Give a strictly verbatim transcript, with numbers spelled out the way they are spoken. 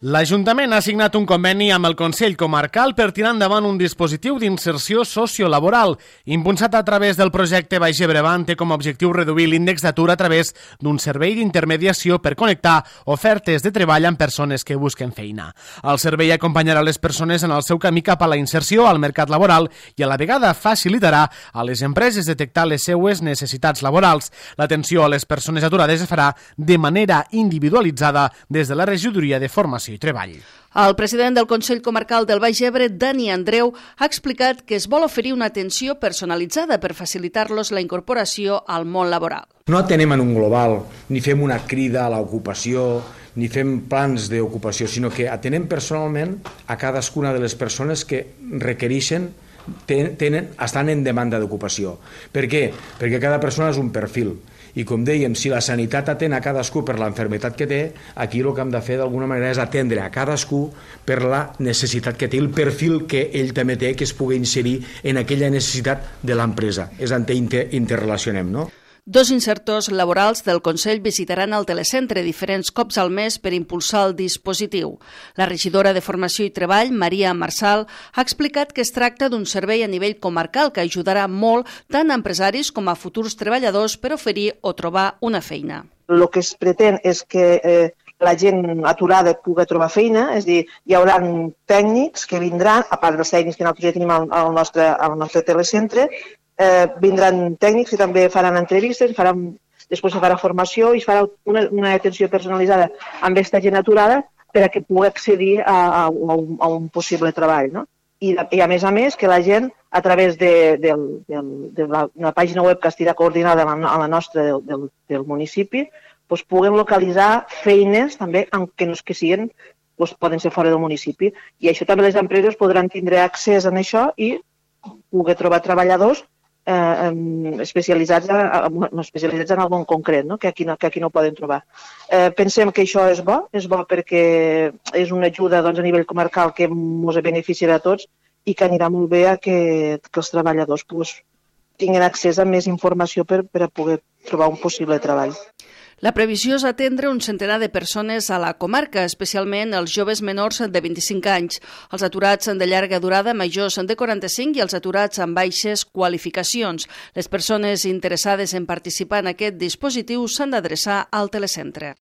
L'Ajuntament ha signat un conveni amb el Consell Comarcal per tirar endavant un dispositiu d'inserció sociolaboral. Impulsat a través del projecte Baix Ebre Avant, té com a objectiu reduir l'índex d'atur a través d'un servei d'intermediació per connectar ofertes de treball amb persones que busquen feina. El servei acompanyarà les persones en el seu camí cap a la inserció al mercat laboral i a la vegada facilitarà a les empreses detectar les seues necessitats laborals. L'atenció a les persones aturades es farà de manera individualitzada des de la regidoria de formació i treball. El president del Consell Comarcal del Baix Ebre, Dani Andreu, ha explicat que es vol oferir una atenció personalitzada per facilitar-los la incorporació al món laboral. No atenem en un global, ni fem una crida a l'ocupació, ni fem plans d'ocupació, sinó que atenem personalment a cadascuna de les persones que requereixen, tenen, estan en demanda d'ocupació. Per què? Perquè cada persona és un perfil. I com dèiem, si la sanitat atén a cadascú per l'enfermetat que té, aquí el que hem de fer d'alguna manera és atendre a cadascú per la necessitat que té, el perfil que ell també té, que es pugui inserir en aquella necessitat de l'empresa. És on interrelacionem, no? Dos insertors laborals del Consell visitaran el telecentre diferents cops al mes per impulsar el dispositiu. La regidora de Formació i Treball, Maria Marsal, ha explicat que es tracta d'un servei a nivell comarcal que ajudarà molt tant a empresaris com a futurs treballadors per oferir o trobar una feina. El que es pretén és que eh, la gent aturada pugui trobar feina, és a dir, hi haurà tècnics que vindran, a part dels tècnics que nosaltres ja tenim al, al, nostre, al nostre telecentre, Eh, vindran tècnics que també faran entrevistes, faran, després se farà formació i es farà una, una atenció personalitzada amb aquesta gent aturada per a que pugui accedir a, a, a, un, a un possible treball. No? I, I a més a més que la gent a través de, de, de, de la, la pàgina web que estirà coordinada a la, a la nostra del, del, del municipi doncs puguem localitzar feines també que no és que siguin, doncs poden ser fora del municipi. I això també les empreses podran tindre accés a això i poder trobar treballadors Eh, especialitzats, a, no, especialitzats en algun concret, no? que, aquí no, que aquí no poden trobar. Eh, pensem que això és bo, és bo perquè és una ajuda doncs, a nivell comarcal que ens beneficiarà a tots i que anirà molt bé a que, que els treballadors pues, tinguin accés a més informació per, per a poder trobar un possible treball. La previsió és atendre un centenar de persones a la comarca, especialment els joves menors de vint-i-cinc anys, els aturats de llarga durada majors de quaranta-cinc i els aturats amb baixes qualificacions. Les persones interessades en participar en aquest dispositiu s'han d'adreçar al telecentre.